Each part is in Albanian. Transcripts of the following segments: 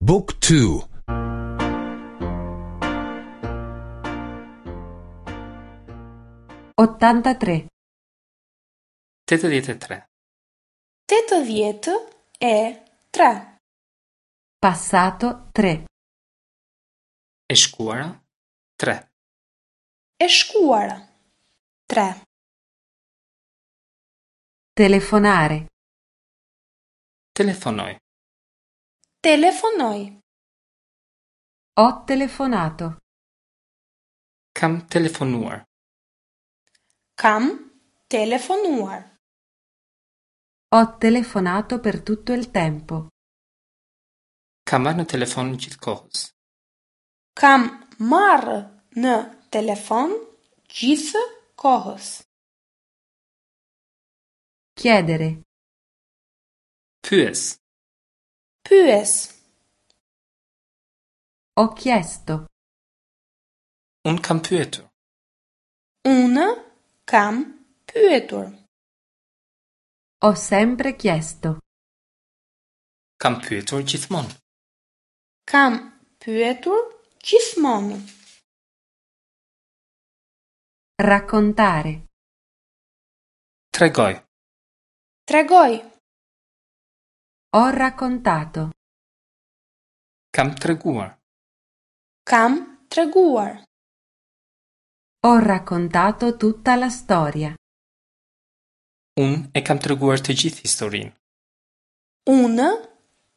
Book 2 83. 83. 83. Passato 3. E shkuara 3. E shkuara 3. Telefonare. Telefonoj. Telefonoj. Ho telefonato. Kam telefonuar. Kam telefonuar. Ho telefonato per tutto il tempo. Kam marrë në telefon gjithë kohës. Kam marrë në telefon gjithë kohës. Chiedere. Pyes. Pyes. Ho chiesto. Unë kam pyetur. Unë kam pyetur. Ho sempre chiesto. Kam pyetur gjithmonë. Kam pyetur gjithmonë. Raccontare. Tregoj. Tregoj. Ho raccontato. Kam treguar. Kam treguar. Ho raccontato tutta la storia. Unë e kam treguar të gjithë historinë. Unë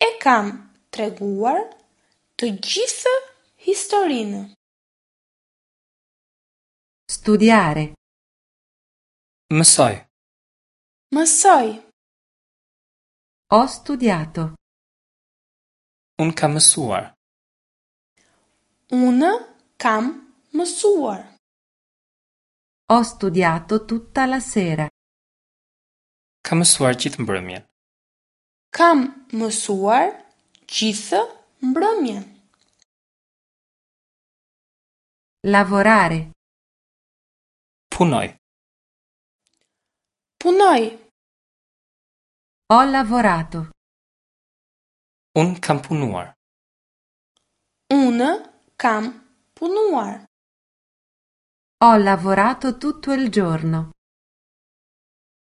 e kam treguar të gjithë historinë. Studiare. Mësoj. Mësoj. Ho studiato. Unë kam mësuar. Unë kam mësuar. Ho studiato tutta la sera. Kam mësuar gjithë mbrëmjen. Kam mësuar gjithë mbrëmjen. Lavorare. Punoj. Punoj. Ho lavorato. Unë kam punuar. Unë kam punuar. Ho lavorato tutto il giorno.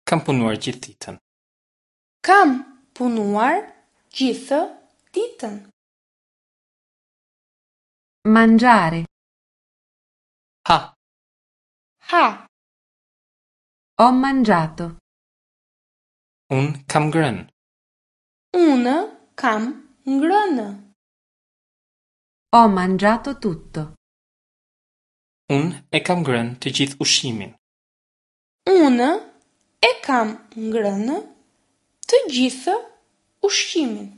Kam punuar gjithë ditën. Kam punuar gjithë ditën. Mangiare. Ha. Ha. Ho mangiato. Unë kam ngrënë. Unë kam ngrënë. Ho mangiato tutto. Unë e kam ngrënë të gjithë ushqimin. Unë e kam ngrënë të gjithë ushqimin.